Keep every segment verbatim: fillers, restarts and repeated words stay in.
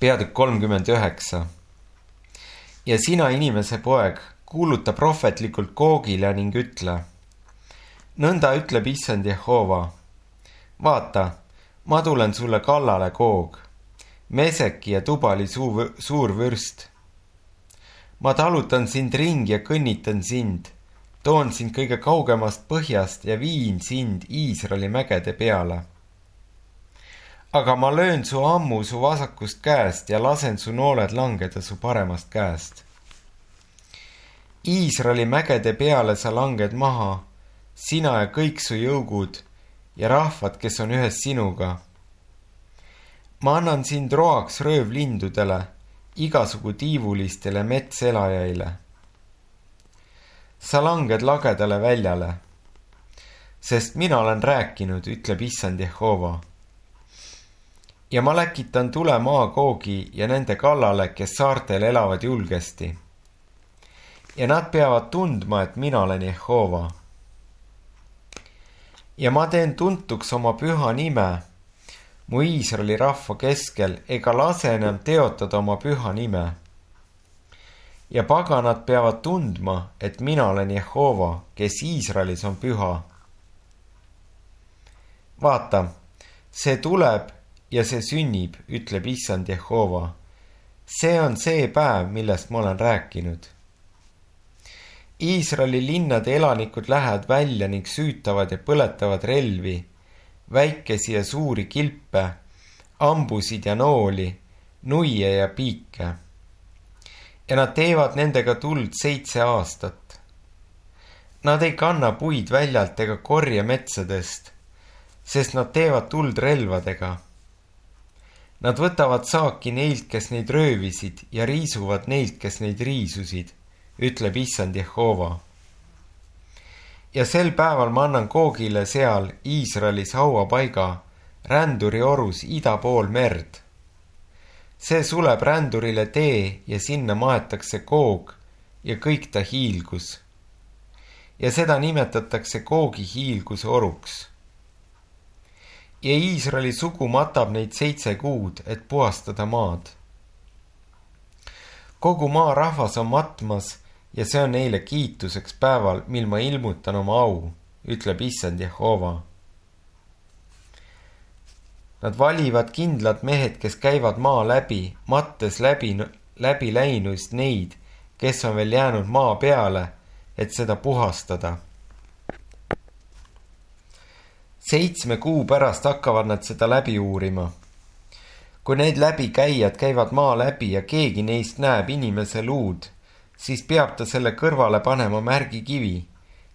Peatükk kolmkümmend üheksa. Ja sina, inimese poeg, kuuluta prohvetlikult Googile ning ütle. Nõnda ütleb issand Jehova. Vaata, ma tulen sulle kallale, Goog, Meseki ja Tubali suu, suur vürst. Ma talutan sind ringi ja kõnnitan sind, toon sind kõige kaugemast põhjast ja viin sind Iisraeli mägede peale. Aga ma löön su ammu su vasakust käest ja lasen su nooled langeda su paremast käest. Iisraeli mägede peale sa langed maha, sina ja kõik su jõugud ja rahvad, kes on ühes sinuga. Ma annan sind roaks röövlindudele, igasugu tiivulistele metselajaile. Sa langed lagedale väljale, sest mina olen rääkinud, ütleb issand Jehova. Ja ma läkitan tule Maagoogi ja nende kallale, kes saartel elavad julgesti. Ja nad peavad tundma, et mina olen Jehova. Ja ma teen tuntuks oma püha nime mu Iisraeli rahva keskel, ega lase enam teotada oma püha nime. Ja paganad peavad tundma, et mina olen Jehova, kes Iisraelis on püha. Vaata, see tuleb ja see sünnib, ütleb issand Jehova. See on see päev, millest ma olen rääkinud. Iisraeli linnade elanikud lähevad välja ning süütavad ja põletavad relvi, väikesi ja suuri kilpe, ambusid ja nooli, nuie ja piike. Ja nad teevad nendega tuld seitse aastat. Nad ei kanna puid väljalt ega korja metsadest, sest nad teevad tuld relvadega. Nad võtavad saaki neilt, kes neid röövisid ja riisuvad neilt, kes neid riisusid, ütleb issand Jehova. Ja sel päeval ma annan Googile seal Iisraelis hauapaiga, ränduri orus ida pool merd. See suleb rändurile tee ja sinna maetakse Goog ja kõik ta hiilgus. Ja seda nimetatakse Googi hiilguse oruks. Ja Iisraeli sugu matab neid seitse kuud, et puhastada maad. Kogu maa rahvas on matmas ja see on neile kiituseks päeval, mil ma ilmutan oma au, ütleb issand Jehova. Nad valivad kindlad mehed, kes käivad maa läbi, mattes läbi, läbi läinuist neid, kes on veel jäänud maa peale, et seda puhastada. Seitsme kuu pärast hakkavad nad seda läbi uurima. Kui need läbikäijad käivad maa läbi ja keegi neist näeb inimese luud, siis peab ta selle kõrvale panema märgikivi,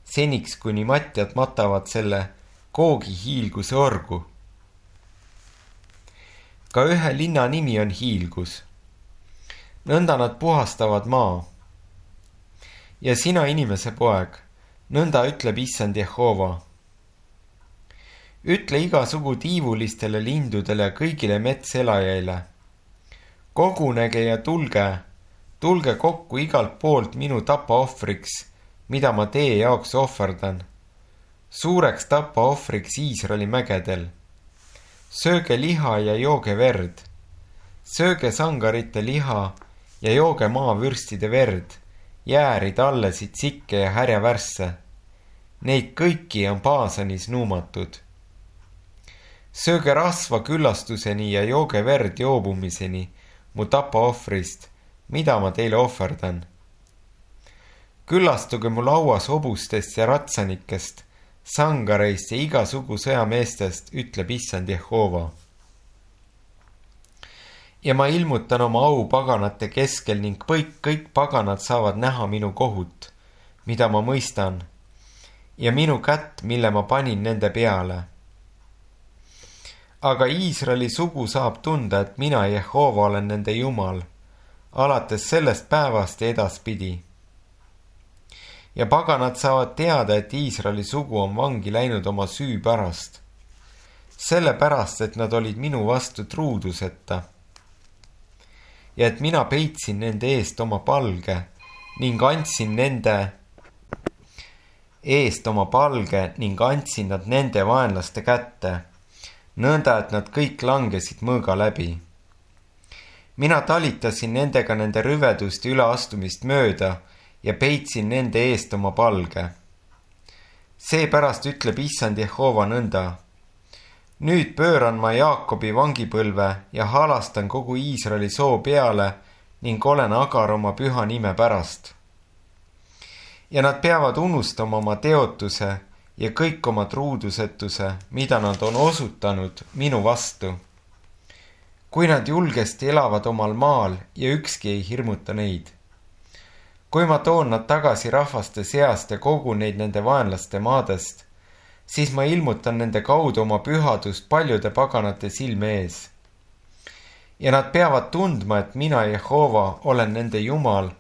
seniks kuni matjad matavad selle Googi hiilguse orgu. Ka ühe linna nimi on hiilgus. Nõnda nad puhastavad maa. Ja sina, inimese poeg, nõnda ütleb issand Jehova. Ütle igasugu tiivulistele lindudele ja kõigile metselajaile. Kogunege ja tulge, tulge kokku igalt poolt minu tapaohvriks, mida ma teie jaoks ohverdan. Suureks tapaohvriks Iisraeli mägedel. Sööge liha ja jooge verd. Sööge sangarite liha ja jooge maavürstide verd, jäärid allesid sikke ja härjavärsse. Neid kõiki on Baasanis nuumatud. Sööge rasva küllastuseni ja jooge verd joobumiseni mu tapaohvrist, mida ma teile ohverdan. Küllastuge mu lauas hobustest ja ratsanikest, sangareist ja igasugu sõjameestest, ütleb issand Jehova. Ja ma ilmutan oma au paganate keskel ning kõik, kõik paganad saavad näha minu kohut, mida ma mõistan, ja minu kätt, mille ma panin nende peale. Aga Iisraeli sugu saab tunda, et mina Jehova olen nende Jumal, alates sellest päevast ja edaspidi. Ja paganad saavad teada, et Iisraeli sugu on vangi läinud oma süü pärast, sellepärast, et nad olid minu vastu truuduseta. Ja et mina peitsin nende eest oma palge ning andsin nende eest oma palge ning andsin nad nende vaenlaste kätte, nõnda, et nad kõik langesid mõõga läbi. mina talitasin nendega nende rüveduste üleastumist mööda ja peitsin nende eest oma palge. Seepärast ütleb issand Jehova nõnda. Nüüd pööran ma Jaakobi vangipõlve ja halastan kogu Iisraeli soo peale ning olen agar oma püha nime pärast. Ja nad peavad unustama oma teotuse ja kõik oma truudusetuse, mida nad on osutanud minu vastu. Kui nad julgesti elavad omal maal ja ükski ei hirmuta neid. Kui ma toon nad tagasi rahvaste seast ja kogun neid nende vaenlaste maadest, siis ma ilmutan nende kaudu oma pühadust paljude paganate silme ees. Ja nad peavad tundma, et mina, Jehova, olen nende Jumal,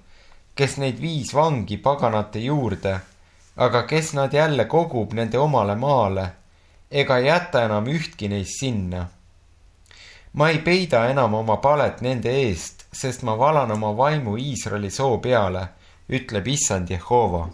kes neid viis vangi paganate juurde, aga kes nad jälle kogub nende omale maale, ega jäta enam ühtki neist sinna. Ma ei peida enam oma palet nende eest, sest ma valan oma vaimu Iisraeli soo peale, ütleb issand Jehova.